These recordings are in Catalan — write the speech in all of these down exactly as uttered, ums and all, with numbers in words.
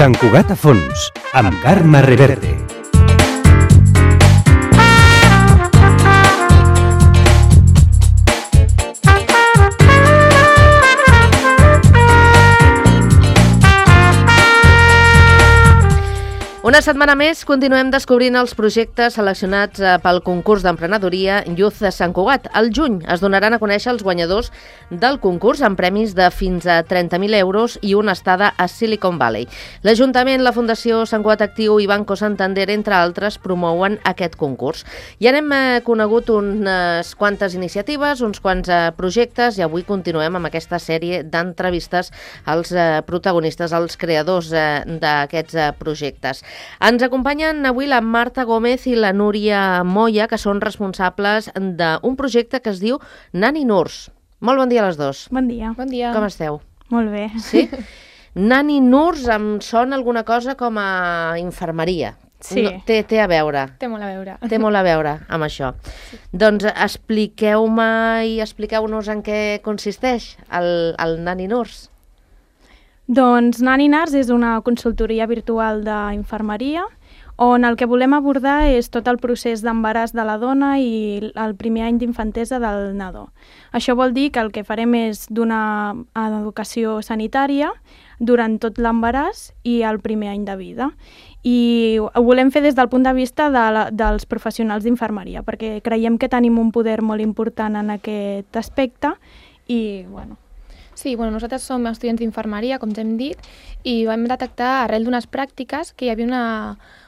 Sant Cugat a fons, amb Carme Reverte. Una setmana més continuem descobrint els projectes seleccionats pel concurs d'emprenedoria Youth de Sant Cugat. Al juny es donaran a conèixer els guanyadors del concurs amb premis de fins a trenta mil euros i una estada a Silicon Valley. L'Ajuntament, la Fundació Sant Cugat Actiu i Banco Santander, entre altres, promouen aquest concurs. Ja n'hem conegut unes quantes iniciatives, uns quants projectes, i avui continuem amb aquesta sèrie d'entrevistes als protagonistes, als creadors d'aquests projectes. Ens acompanyen avui la Marta Gómez i la Núria Moya, que són responsables d'un projecte que es diu Nani Nurse. Molt bon dia a les dos. Bon dia. Bon dia. Com esteu? Molt bé. Sí? Nani Nurse em sona alguna cosa com a infermeria. Sí. No, té, té a veure. Té molt a veure. Té molt a veure amb això. Sí. Doncs expliqueu-me i expliqueu-nos en què consisteix el, el Nani Nurse. Doncs Nani Nurse és una consultoria virtual d'infermeria on el que volem abordar és tot el procés d'embaràs de la dona i el primer any d'infantesa del nadó. Això vol dir que el que farem és donar educació sanitària durant tot l'embaràs i el primer any de vida. I ho volem fer des del punt de vista de la, dels professionals d'infermeria, perquè creiem que tenim un poder molt important en aquest aspecte i, bueno... Sí, bueno, nosaltres som estudiants d'infermeria, com ja hem dit, i vam detectar arrel d'unes pràctiques que hi havia una,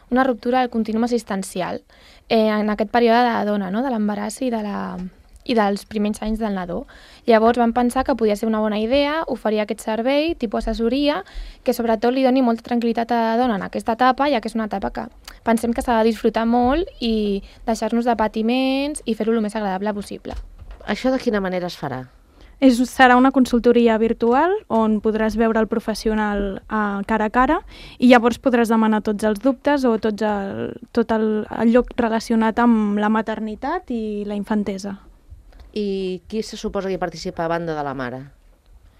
una ruptura del continuum assistencial eh, en aquest període de la dona, no? De l'embaràs i, de la, i dels primers anys del nadó. Llavors vam pensar que podia ser una bona idea oferir aquest servei, tipus assessoria, que sobretot li doni molta tranquil·litat a la dona en aquesta etapa, ja que és una etapa que pensem que s'ha de disfrutar molt i deixar-nos de patiments i fer-ho el més agradable possible. Això de quina manera es farà? És, serà una consultoria virtual on podràs veure el professional a cara a cara i llavors podràs demanar tots els dubtes o tots el, tot el, el lloc relacionat amb la maternitat i la infantesa. I qui se suposa que hi participa a banda de la mare?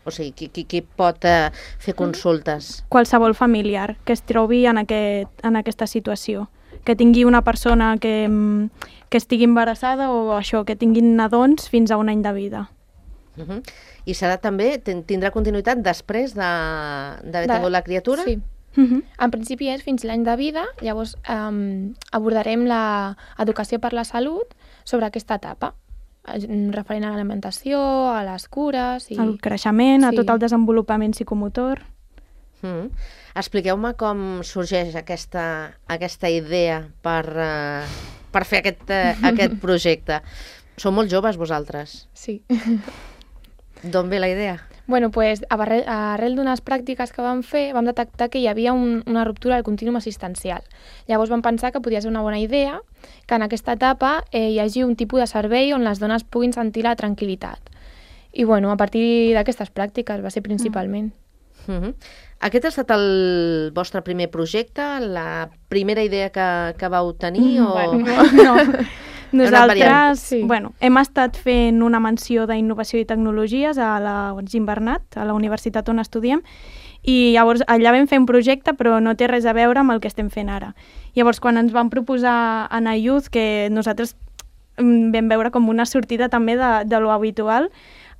O sigui, qui, qui, qui pot eh, fer consultes? Qualsevol familiar que es trobi en, aquest, en aquesta situació. Que tingui una persona que, que estigui embarassada o això, que tinguin nadons fins a un any de vida. Uh -huh. I serà també, tindrà continuïtat després d'haver de, tingut la criatura? Sí. Uh -huh. En principi és fins l'any de vida, llavors um, abordarem l'educació per la salut sobre aquesta etapa, referent a l'alimentació, a les cures... I... al creixement, sí. A tot el desenvolupament psicomotor. Uh -huh. Expliqueu-me com sorgeix aquesta, aquesta idea per, uh, per fer aquest, uh, aquest projecte. Sou molt joves vosaltres? Sí. D'on ve la idea? Bueno, pues, arrel, arrel d'unes pràctiques que vam fer, vam detectar que hi havia un, una ruptura del continuum assistencial. Llavors vam pensar que podia ser una bona idea que en aquesta etapa eh, hi hagi un tipus de servei on les dones puguin sentir la tranquil·litat. I bueno, a partir d'aquestes pràctiques va ser principalment. Mm. Uh-huh. Aquest ha estat el vostre primer projecte, la primera idea que, que vau tenir? Mm, o... bueno, no. Nosaltres sí. bueno, hem estat fent una menció d'Innovació i Tecnologies a la Gimbernat, a la universitat on estudiem, i llavors allà vam fer un projecte però no té res a veure amb el que estem fent ara. Llavors quan ens van proposar anar a Youth, que nosaltres vam veure com una sortida també de, de lo habitual,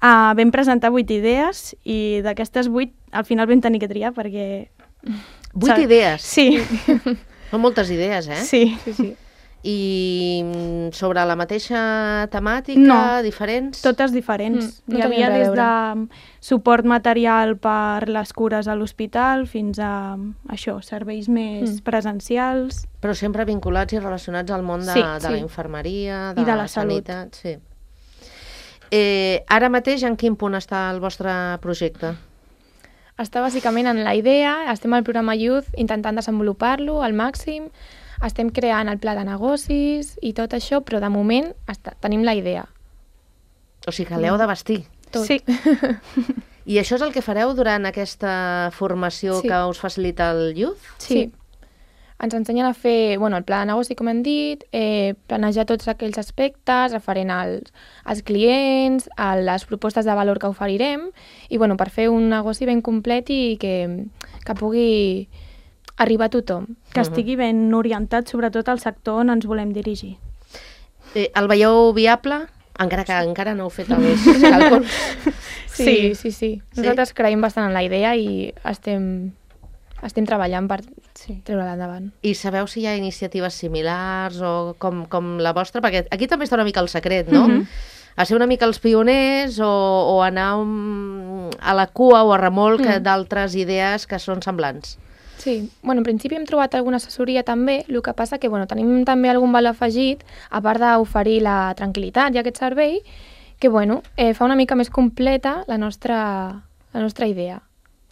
uh, vam presentar vuit idees i d'aquestes vuit al final vam tenir que triar perquè... Vuit idees? Sí. Són moltes idees, eh? Sí. Sí, sí. I sobre la mateixa temàtica, no, diferents? Totes diferents. Mm, no Hi havia res a des veure. de suport material per les cures a l'hospital fins a això, serveis més mm. presencials. Però sempre vinculats i relacionats al món de, Sí, de sí. la infermeria, de, I de la la salut. sanitat. Sí. Eh, ara mateix en quin punt està el vostre projecte? Està bàsicament en la idea, estem al programa Youth intentant desenvolupar-lo al màxim, estem creant el pla de negocis i tot això, però de moment està, tenim la idea. O sigui que l'heu de vestir. Tot. Sí. I això és el que fareu durant aquesta formació Sí. que us facilita el Youth? Sí. sí. Ens ensenyen a fer bueno, el pla de negoci, com hem dit, eh, planejar tots aquells aspectes referent als, als clients, a les propostes de valor que oferirem i bueno, per fer un negoci ben complet i que, que pugui arribar a tothom. Que estigui ben orientat sobretot al sector on ens volem dirigir. Eh, el veieu viable? Encara que encara no heu fet els càlculs. Sí, sí, sí. Nosaltres creiem bastant en la idea i estem, estem treballant per sí. treure-la endavant. I sabeu si hi ha iniciatives similars o com, com la vostra? Perquè aquí també està una mica el secret, no? Mm-hmm. A ser una mica els pioners o, o anar un, a la cua o a remolc mm. d'altres idees que són semblants. Sí, bueno, en principi hem trobat alguna assessoria també, el que passa que bueno, tenim també algun valor afegit, a part d'oferir la tranquil·litat i aquest servei, que bueno, eh, fa una mica més completa la nostra, la nostra idea.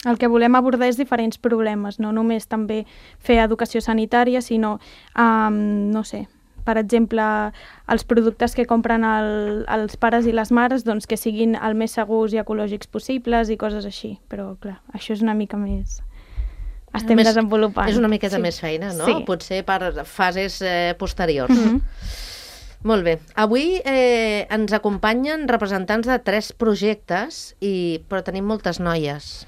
El que volem abordar és diferents problemes, no només també fer educació sanitària, sinó, um, no sé, per exemple, els productes que compren el, els pares i les mares doncs, que siguin el més segurs i ecològics possibles i coses així. Però, clar, això és una mica més... Estem més, desenvolupant. És una miqueta sí. més feina, no? Sí. Potser per fases eh, posteriors. Mm-hmm. Molt bé. Avui eh, ens acompanyen representants de tres projectes, i però tenim moltes noies.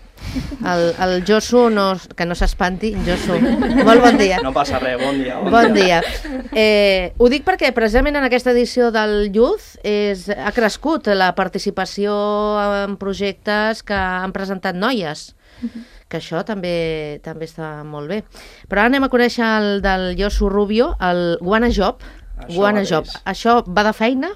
El, el Josu, no, que no s'espanti, Josu, molt bon dia. No passa res, bon dia. Bon, bon dia. dia. Eh, ho dic perquè precisament en aquesta edició del Youth és, ha crescut la participació en projectes que han presentat noies. Mm-hmm. Que això també també està molt bé. Però ara anem a conèixer el del Josu Rubio, el Guana Job. Això Guana Job. Això va de feina?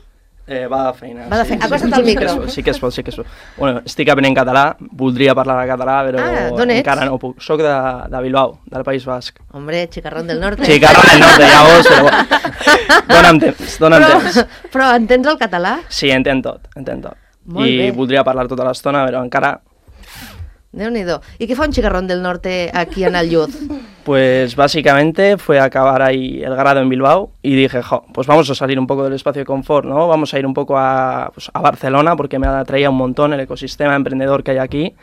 Eh, va de feina. Va de feina. Sí, Acosta't sí, al micro. Sí que es pot, sí que es pot. Bueno, estic aprenent català, voldria parlar de català, però ah, encara no puc. Soc de, de Bilbao, del País Basc. Hombre, Chicarrón del Norte. Chicarrón del Norte, ja vos, però... Dóna'm temps, dóna'm però, temps. Però entens el català? Sí, entenc tot, entenc tot. Molt I bé. voldria parlar tota l'estona, però encara... Déu-n'hi-do. ¿Y qué fue un Chicarrón del Norte aquí en el Youth? Pues básicamente fue a acabar ahí el grado en Bilbao y dije, jo, pues vamos a salir un poco del espacio de confort, ¿no? Vamos a ir un poco a, pues, a Barcelona porque me atraía un montón el ecosistema emprendedor que hay aquí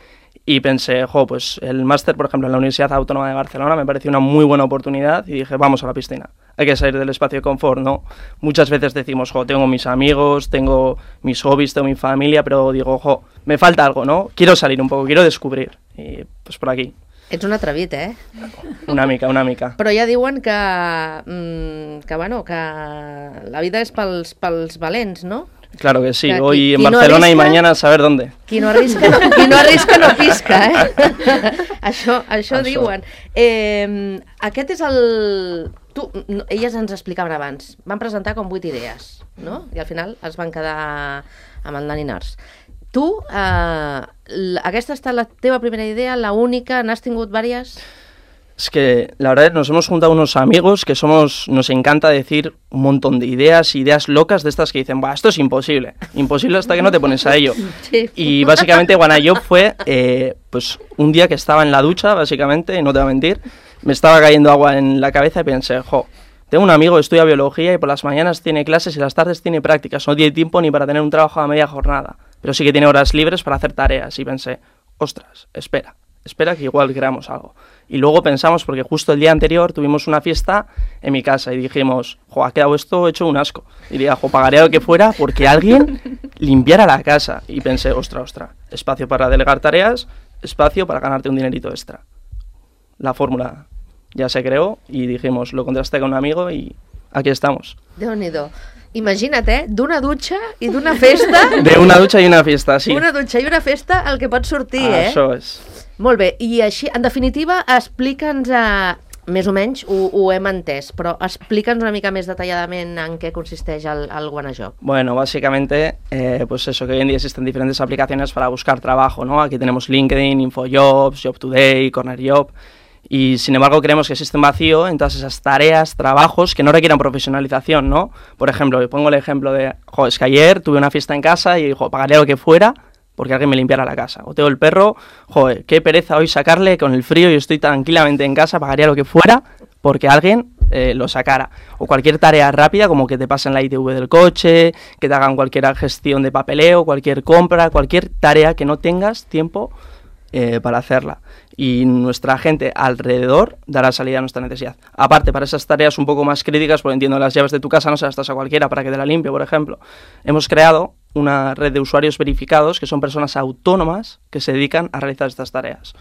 y pensé, jo, pues el máster, por ejemplo, en la Universidad Autónoma de Barcelona me pareció una muy buena oportunidad y dije, vamos a la piscina. Hay que salir del espacio de confort, ¿no? Muchas veces decimos, jo, tengo mis amigos, tengo mis hobbies, tengo mi familia, pero digo, jo, me falta algo, ¿no? Quiero salir un poco, quiero descubrir. I pues por aquí. Ets un atrevit, eh? Una mica, una mica. Però ja diuen que, mmm, que, bueno, que la vida és pels, pels valents, no? Claro que sí, que, hoy qui, en qui Barcelona no arrisca, y mañana a saber dónde. Qui no arrisca no, qui no, arrisca, no pisca, eh? això, això, això diuen. Eh, aquest és el... Tu, no, elles ens explicaven abans, van presentar com vuit idees, no? I al final es van quedar amb el Naninars. Tu, eh, aquesta ha estat la teva primera idea, la única, n'has tingut vàries? Es que la verdad nos hemos juntado unos amigos que somos, nos encanta decir un montón de ideas, ideas locas de estas que dicen, bah, esto es imposible, imposible hasta que no te pones a ello. Sí. Y básicamente Guana Job fue eh, pues un día que estaba en la ducha, básicamente, y no te voy a mentir, me estaba cayendo agua en la cabeza y pensé, jo, tengo un amigo que estudia biología y por las mañanas tiene clases y las tardes tiene prácticas, no tiene tiempo ni para tener un trabajo a media jornada, pero sí que tiene horas libres para hacer tareas y pensé, ostras, espera. Espera que igual creamos algo. Y luego pensamos, porque justo el día anterior tuvimos una fiesta en mi casa y dijimos, jo, ha quedado esto hecho un asco. Y diría, jo, pagaría lo que fuera porque alguien limpiara la casa. Y pensé, ostra, ostra, espacio para delegar tareas, espacio para ganarte un dinerito extra. La fórmula ya se creó y dijimos, lo contrasté con un amigo y aquí estamos. Déu-n'hi-do. Imagina't, eh? D'una dutxa i d'una festa... De una ducha y una fiesta, sí. Una dutxa i una festa el que pot sortir, ah, eh? Això és... Molt bé, i així, en definitiva, explica'ns, eh, més o menys, ho, ho hem entès, però explica'ns una mica més detalladament en què consisteix el, el Guana Job. Bueno, básicamente, eh, pues eso, que hoy en día existen diferentes aplicaciones para buscar trabajo, ¿no? Aquí tenemos LinkedIn, InfoJobs, Job Today, Corner Job, y sin embargo creemos que existe un vacío en todas esas tareas, trabajos que no requieran profesionalización, ¿no? Por ejemplo, pongo el ejemplo de, jo, es que ayer tuve una fiesta en casa y, jo, pagaría lo que fuera porque alguien me limpiara la casa. O tengo el perro, joder, qué pereza hoy sacarle con el frío y estoy tranquilamente en casa, pagaría lo que fuera porque alguien eh, lo sacara. O cualquier tarea rápida, como que te pasen la I T V del coche, que te hagan cualquier gestión de papeleo, cualquier compra, cualquier tarea que no tengas tiempo eh, para hacerla. Y nuestra gente alrededor dará salida a nuestra necesidad. Aparte, para esas tareas un poco más críticas, porque entiendo las llaves de tu casa no se las das a cualquiera para que te la limpie, por ejemplo. Hemos creado una red de usuarios verificados que son personas autónomas que se dedican a realizar estas tareas.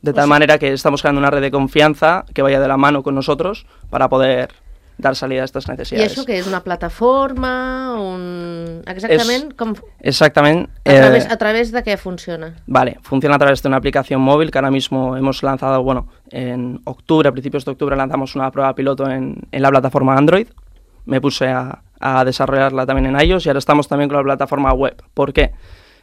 De tal manera que estamos creando una red de confianza que vaya de la mano con nosotros para poder dar salida a estas necesidades. I això què és? Una plataforma? Un... Exactament? Es, com... Exactamente. A través, eh, ¿A través de qué funciona? Vale, funciona a través de una aplicación móvil que ahora mismo hemos lanzado, bueno, en octubre, a principios de octubre lanzamos una prueba piloto en, en la plataforma Android. Me puse a, a desarrollarla también en iOS y ahora estamos también con la plataforma web. ¿Por qué?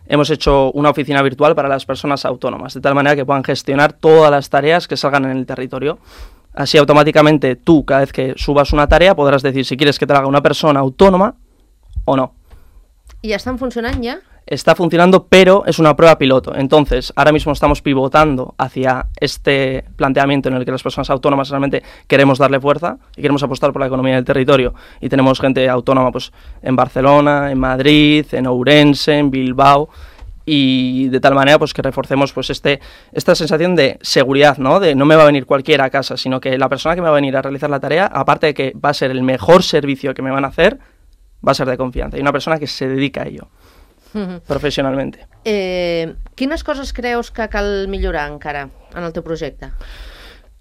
Hemos hecho una oficina virtual para las personas autónomas, de tal manera que puedan gestionar todas las tareas que salgan en el territorio. Así automáticamente tú, cada vez que subas una tarea, podrás decir si quieres que te la haga una persona autónoma o no. ¿Y ya están funcionando ya? Está funcionando, pero es una prueba piloto. Entonces, ahora mismo estamos pivotando hacia este planteamiento en el que las personas autónomas realmente queremos darle fuerza y queremos apostar por la economía del territorio. Y tenemos gente autónoma pues en Barcelona, en Madrid, en Ourense, en Bilbao, y de tal manera pues que reforcemos pues este esta sensación de seguridad, ¿no? De no me va a venir cualquiera a casa, sino que la persona que me va a venir a realizar la tarea, aparte de que va a ser el mejor servicio que me van a hacer, va a ser de confianza. Y una persona que se dedica a ello. Uh-huh. Professionalmente. Eh, quines coses creus que cal millorar encara en el teu projecte?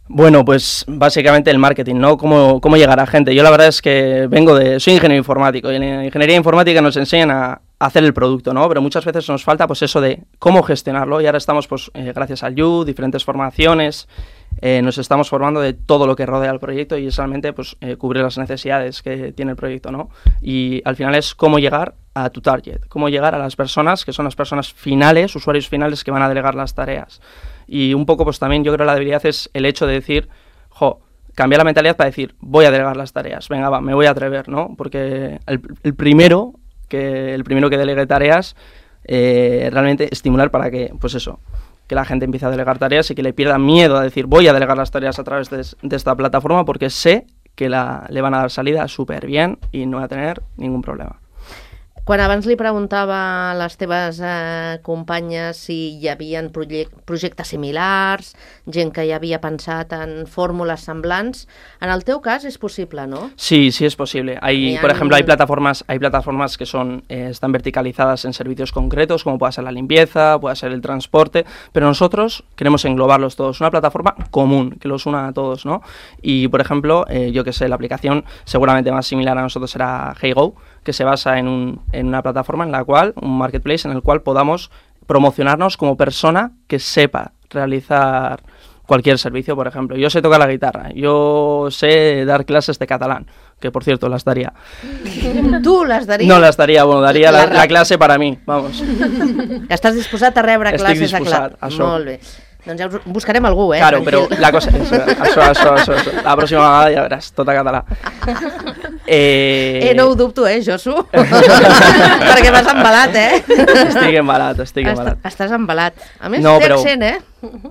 Bueno, pues básicamente el marketing, ¿no? Cómo, cómo llegar a gente. Yo la verdad es que vengo de... Soy ingeniero informático y en la ingeniería informática nos enseñan a hacer el producto, ¿no? Pero muchas veces nos falta pues eso de cómo gestionarlo y ahora estamos pues eh, gracias al You, diferentes formaciones, eh, nos estamos formando de todo lo que rodea al proyecto y es realmente pues eh, cubrir las necesidades que tiene el proyecto, ¿no? Y al final es cómo llegar a tu target, cómo llegar a las personas que son las personas finales, usuarios finales que van a delegar las tareas. Y un poco pues también yo creo que la debilidad es el hecho de decir, jo, cambiar la mentalidad para decir, voy a delegar las tareas, venga va, me voy a atrever, ¿no? Porque el, el primero que el primero que delegue tareas, eh, realmente estimular para que, pues eso, que la gente empiece a delegar tareas y que le pierda miedo a decir, voy a delegar las tareas a través de, de esta plataforma porque sé que la, le van a dar salida súper bien y no va a tener ningún problema. Quan abans li preguntava a les teves eh, companyes si hi havia projectes similars, gent que ja havia pensat en fórmules semblants, en el teu cas es posible, ¿no? Sí, sí es posible. Hay, por ejemplo, hay plataformas, hay plataformas que son eh, están verticalizadas en servicios concretos, como puede ser la limpieza, puede ser el transporte, pero nosotros queremos englobarlos todos, una plataforma común que los una a todos, ¿no? Y, por ejemplo, eh, yo que sé, la aplicación seguramente más similar a nosotros será HeyGo, que se basa en, un, en una plataforma en la cual, un marketplace en el cual podamos promocionarnos como persona que sepa realizar cualquier servicio, por ejemplo. Yo sé tocar la guitarra, yo sé dar clases de catalán, que por cierto las daría. ¿Tú las darías? No las daría, bueno, daría la, la clase para mí, vamos. Estàs disposat a rebre Estic classes de disposat, català? això. Molt bé. Doncs ja buscarem algú, eh? Claro, però la cosa... Això, això, això, això, això. La pròxima vegada ja veràs, tot a català. Eh, eh no ho dubto, eh, Josu? Perquè vas embalat, eh? Estic embalat, estic embalat. Estàs embalat. A més, no, té pero... accent, eh?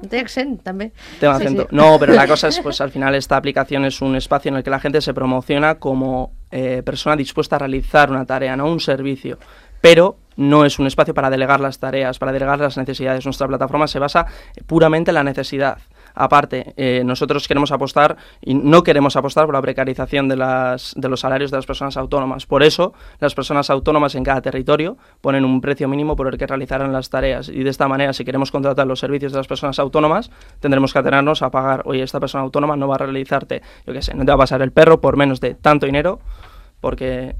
Té accent, també. Té acento. Sí, sí. No, pero la cosa es, pues al final esta aplicación es un espacio en el que la gente se promociona como eh, persona dispuesta a realizar una tarea, no un servicio. Pero no es un espacio para delegar las tareas, para delegar las necesidades. Nuestra plataforma se basa puramente en la necesidad. Aparte, eh, nosotros queremos apostar y no queremos apostar por la precarización de, las, de los salarios de las personas autónomas. Por eso, las personas autónomas en cada territorio ponen un precio mínimo por el que realizarán las tareas. Y de esta manera, si queremos contratar los servicios de las personas autónomas, tendremos que atenernos a pagar, oye, esta persona autónoma no va a realizarte, yo qué sé, no te va a pasar el perro por menos de tanto dinero, porque...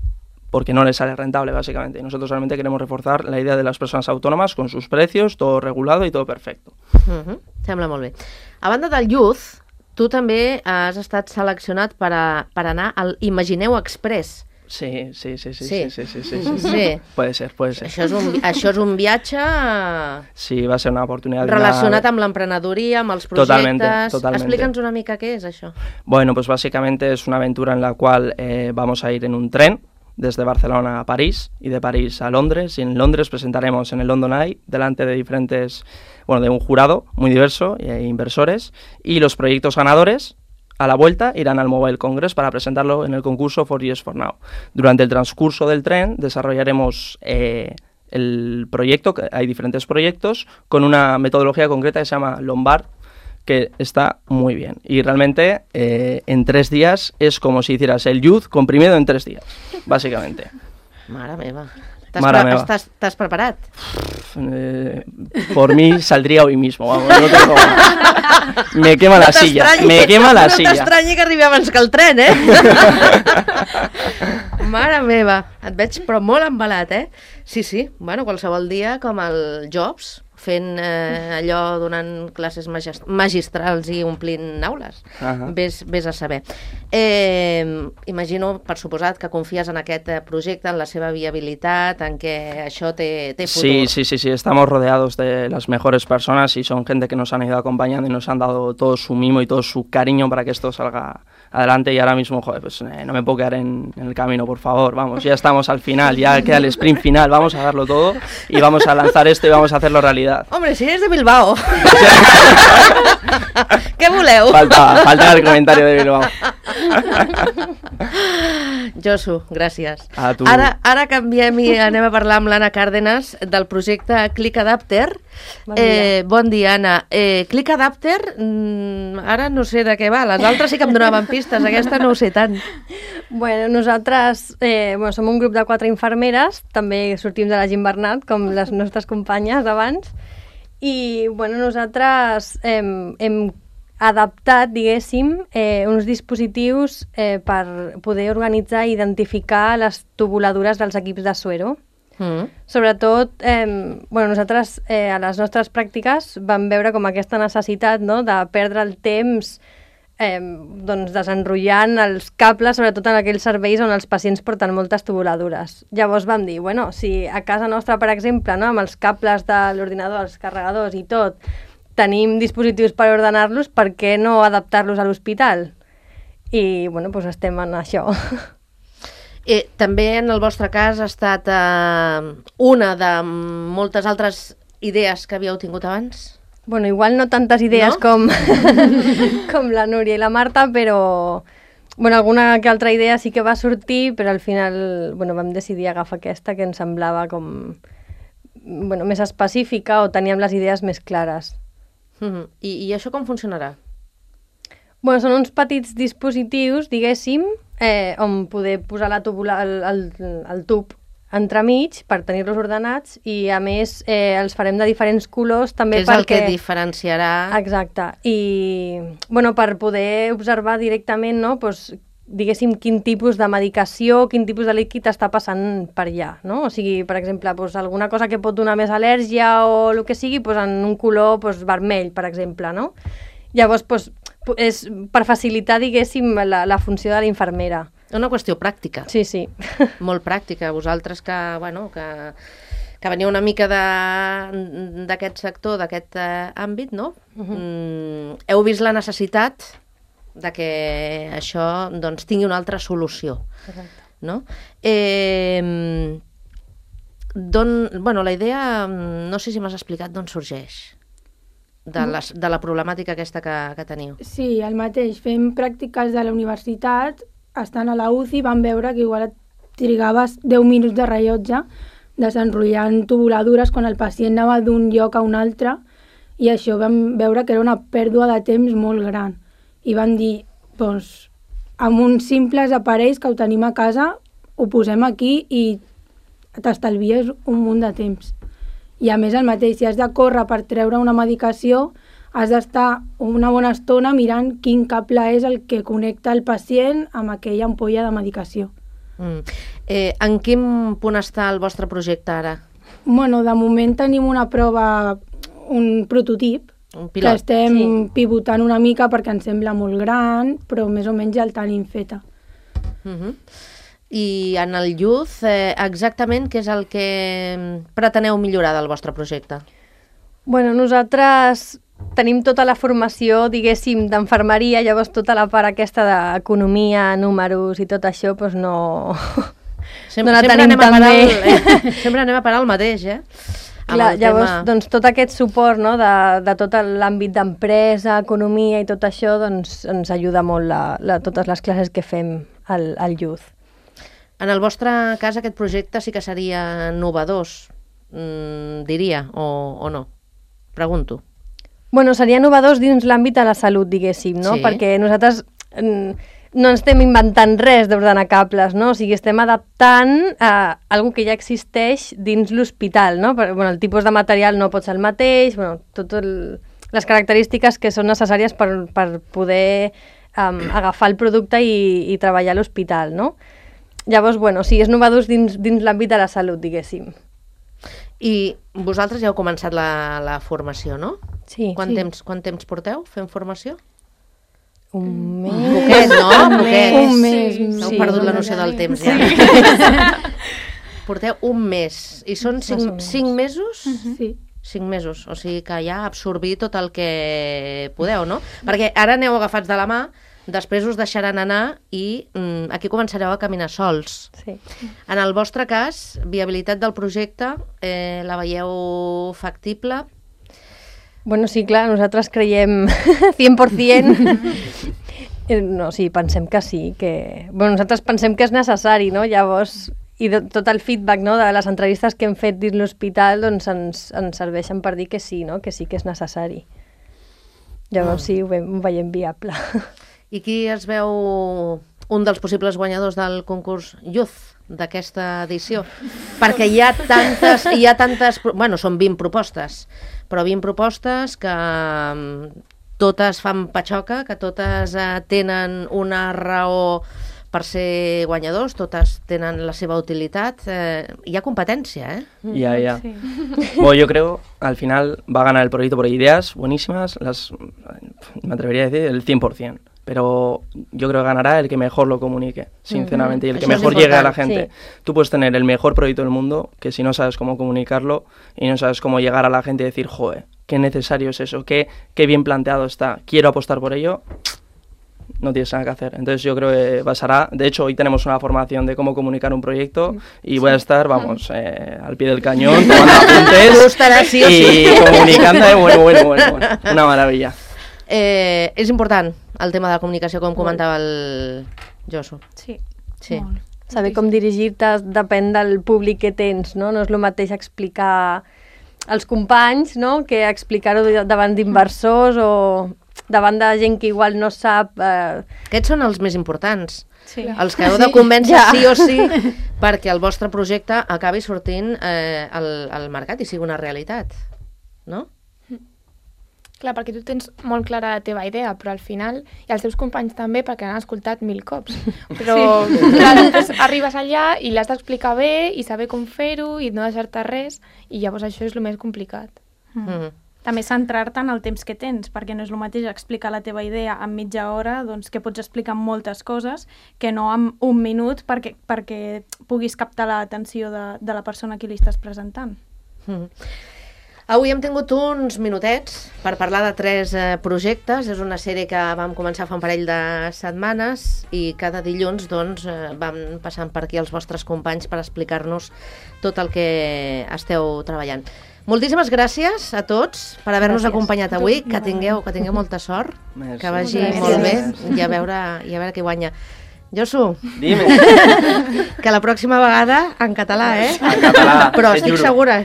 porque no les sale rentable, básicamente. Y nosotros realmente queremos reforzar la idea de las personas autónomas con sus precios, todo regulado y todo perfecto. Uh-huh. Sembla molt bé. A banda del Youth, tu també has estat seleccionat per, a, per anar al Imagineu Express. Sí, sí, sí, sí, sí, sí, sí, sí, sí, sí. sí. Puede ser, puede ser. Això és un, això és un viatge... Sí, va a ser una oportunidad. Relacionat amb l'emprenedoria, amb els projectes... Totalmente, totalmente. Explica'ns una mica què és això. Bueno, pues básicamente es una aventura en la cual eh, vamos a ir en un tren desde Barcelona a París y de París a Londres, y en Londres presentaremos en el London Eye delante de diferentes, bueno, de un jurado muy diverso e inversores, y los proyectos ganadores a la vuelta irán al Mobile Congress para presentarlo en el concurso For Yes For Now. Durante el transcurso del tren desarrollaremos eh, el proyecto, que hay diferentes proyectos, con una metodología concreta que se llama Lombard, que está muy bien. Y realmente eh, en tres días es como si hicieras el Youth comprimido en tres días, básicamente. Mare meva. T'has Mare pre meva. Estàs, t'has preparat? eh, por mí saldría hoy mismo, vamos, no tengo... Me quema la silla, me quema la silla. No t'estranyi que arribi abans que el tren, eh? Mare meva, et veig però molt embalat, eh? Sí, sí, bueno, qualsevol dia com el Jobs, fent eh, allò, donant classes magist magistrals i omplint aules. Uh -huh. Ves, ves a saber. Eh, imagino, per suposat, que confies en aquest projecte, en la seva viabilitat, en que això té, té futur. Sí, sí, sí, sí, estamos rodeados de las mejores personas y son gente que nos han ido acompañando y nos han dado todo su mimo y todo su cariño para que esto salga adelante, y ahora mismo, joder, pues eh, no me puedo quedar en, en el camino, por favor, vamos, ya estamos al final, ya queda el sprint final, vamos a darlo todo y vamos a lanzar esto y vamos a hacerlo realidad. Hombre, si eres de Bilbao. Què voleu? Falta, falta el comentario de Bilbao. Josu, gràcies. A tu. Ara, ara canviem i anem a parlar amb l'Anna Cárdenas del projecte Click Adapter. Bon dia. Eh, bon dia, Anna. Eh, Click Adapter, mm, ara no sé de què va. Les altres sí que em donaven pistes, aquesta no ho sé tant. Bueno, nosaltres eh, bueno, som un grup de quatre infermeres, també sortim de la Gim Bernat, com les nostres companyes d'abans, i bueno, nosaltres eh, hem adaptat, diguéssim, eh, uns dispositius eh, per poder organitzar i identificar les tubuladures dels equips de Suero. Mm. Sobretot, eh, bueno, nosaltres eh, a les nostres pràctiques vam veure com aquesta necessitat, no?, de perdre el temps eh, doncs desenrotllant els cables, sobretot en aquells serveis on els pacients porten moltes tubuladures. Llavors vam dir, bueno, si a casa nostra, per exemple, no, amb els cables de l'ordinador, els carregadors i tot, tenim dispositius per ordenar-los, per què no adaptar-los a l'hospital? I, bueno, doncs estem en això. Eh, també en el vostre cas ha estat eh, una de moltes altres idees que havíeu tingut abans? Bueno, igual no tantes idees no? com, com la Núria i la Marta, però bueno, alguna que altra idea sí que va sortir, però al final bueno, vam decidir agafar aquesta que ens semblava com bueno, més específica o teníem les idees més clares. Mm-hmm. I, I això com funcionarà? Bueno, són uns petits dispositius, diguéssim, eh, on poder posar la tubula, el, el, el tub entremig per tenir-los ordenats i, a més, eh, els farem de diferents colors també que és perquè... el que diferenciarà... Exacte. I, bueno, per poder observar directament, no?, doncs, diguéssim, quin tipus de medicació, quin tipus de líquid està passant per allà, no? O sigui, per exemple, doncs, alguna cosa que pot donar més al·lèrgia o el que sigui, doncs, en un color doncs, vermell, per exemple, no? Llavors, doncs, és per facilitar, diguéssim, la, la funció de la infermera. Una qüestió pràctica. Sí, sí. Molt pràctica. Vosaltres que, bueno, que, que veniu una mica d'aquest sector, d'aquest eh, àmbit, no? Uh-huh. mm, heu vist la necessitat de que això doncs, tingui una altra solució. Exacte. No? Eh, don, bueno, la idea, no sé si m'has explicat d'on sorgeix. De, les, de la problemàtica aquesta que, que teniu. Sí, el mateix. Fem pràctiques de la universitat, estant a la U C I vam veure que igual et trigaves deu minuts de rellotge desenrotllant tubuladures quan el pacient anava d'un lloc a un altre, i això vam veure que era una pèrdua de temps molt gran. I vam dir, doncs, amb uns simples aparells que ho tenim a casa, ho posem aquí i t'estalvies un munt de temps. I a més el mateix, si has de córrer per treure una medicació, has d'estar una bona estona mirant quin cable és el que connecta el pacient amb aquella ampolla de medicació. Mm. Eh, en quin punt està el vostre projecte ara? Bueno, de moment tenim una prova, un prototip, un que pilot. estem sí. pivotant una mica perquè ens sembla molt gran, però més o menys ja el tenim feta. Mm-hmm. I en el Youth, eh, exactament què és el que preteneu millorar del vostre projecte? Bueno, nosaltres tenim tota la formació, diguéssim, d'enfermeria, llavors tota la part aquesta d'economia, números i tot això, doncs no, Sem no la sempre tenim tan bé. El, eh? Sempre anem a parar el mateix, eh? Clar, llavors, tema... doncs, tot aquest suport, no, de, de tot l'àmbit d'empresa, economia i tot això, doncs ens ajuda molt la, la, totes les classes que fem al, al Youth. En el vostre cas, aquest projecte sí que seria novedós, mm, diria, o, o no? Pregunto. Bueno, seria novedós dins l'àmbit de la salut, diguéssim, no? Sí. Perquè nosaltres mm, no ens estem inventant res d'ordenar cables, no? O sigui, estem adaptant a algo que ja existeix dins l'hospital, no? Per, bueno, el tipus de material no pot ser el mateix, bueno, tot el, les característiques que són necessàries per, per poder um, agafar el producte i, i treballar a l'hospital, no? Llavors, bueno, o sigui, és novedós dins, dins l'àmbit de la salut, diguéssim. I vosaltres ja heu començat la, la formació, no? Sí. Quant, sí. Temps, quant temps porteu fent formació? Un mes. Un poquet, no? Un poquet. Un mes. Sí. Heu Sí, perdut un la mes noció ja. del temps, ja. Porteu un mes. I són Més o cinc, menys. cinc mesos? Sí. Cinc mesos. O sigui que ja absorbir tot el que podeu, no? Perquè ara aneu agafats de la mà, després us deixaran anar i mm, aquí començareu a caminar sols. Sí. En el vostre cas, viabilitat del projecte, eh, la veieu factible? Bueno, sí, clar, nosaltres creiem cent per cent. No, sí, pensem que sí, que... Bueno, nosaltres pensem que és necessari, no? Llavors, i de, tot el feedback, no?, de les entrevistes que hem fet dins l'hospital, doncs ens, ens serveixen per dir que sí, no?, que sí que és necessari. Llavors sí, ho, ve, ho veiem viable. I qui es veu un dels possibles guanyadors del concurs Youth d'aquesta edició? Perquè hi ha tantes, hi ha tantes, bueno, són vint propostes, però vint propostes que totes fan patxoca, que totes eh, tenen una raó per ser guanyadors, totes tenen la seva utilitat. Eh, hi ha competència, ¿eh? Ya, ya. Sí. Bueno, yo creo, al final va a ganar el proyecto por ideas buenísimas, las, me atrevería a decir el cien por cien. Pero yo creo que ganará el que mejor lo comunique, sinceramente, y el que Eso es mejor llegue a la importante, gente. Tú puedes tener el mejor proyecto del mundo, que si no sabes cómo comunicarlo y no sabes cómo llegar a la gente y decir, joder, qué necesario es eso, qué, qué bien planteado está, quiero apostar por ello, no tienes nada que hacer. Entonces yo creo que pasará. De hecho, hoy tenemos una formación de cómo comunicar un proyecto y voy a estar, vamos, eh, al pie del cañón, tomando apuntes Tú estarás sí o sí. y comunicando. eh, Bueno, bueno, bueno, bueno, una maravilla. Eh, és important el tema de la comunicació, com comentava el Josu. Sí, Sí. molt. Saber com dirigir-te depèn del públic que tens, no? No és el mateix explicar als companys, no?, que explicar-ho davant d'inversors o davant de gent que igual no sap... Eh... Aquests són els més importants. Sí. Els que heu de convèncer Ja. sí o sí perquè el vostre projecte acabi sortint eh, al, al mercat i sigui una realitat, no? Clar, perquè tu tens molt clara la teva idea, però al final, i els teus companys també, perquè han escoltat mil cops. Però sí. Clar, després arribes allà i l'has d'explicar bé i saber com fer-ho i no deixar-te res, i llavors això és el més complicat. Mm. Mm. També centrar-te en el temps que tens, perquè no és el mateix explicar la teva idea en mitja hora, doncs que pots explicar moltes coses, que no en un minut perquè, perquè puguis captar l'atenció de, de la persona a qui li estàs presentant. Mm. Avui hem tingut uns minutets per parlar de tres eh, projectes. És una sèrie que vam començar fa un parell de setmanes i cada dilluns doncs, eh, vam passant per aquí els vostres companys per explicar-nos tot el que esteu treballant. Moltíssimes gràcies a tots per haver-nos acompanyat avui. Que tingueu, que tingueu molta sort, Merci. que vagi Gràcies. molt bé i a veure, i a veure qui guanya. Josu, Dime. que la pròxima vegada en català, eh? En català, Però te estic juro. segura.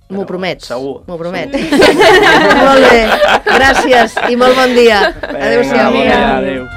M'ho Però promets. segur. M'ho promet. Molt bé. Gràcies i molt bon dia. Venga, Adéu-siau. bon dia, adéu.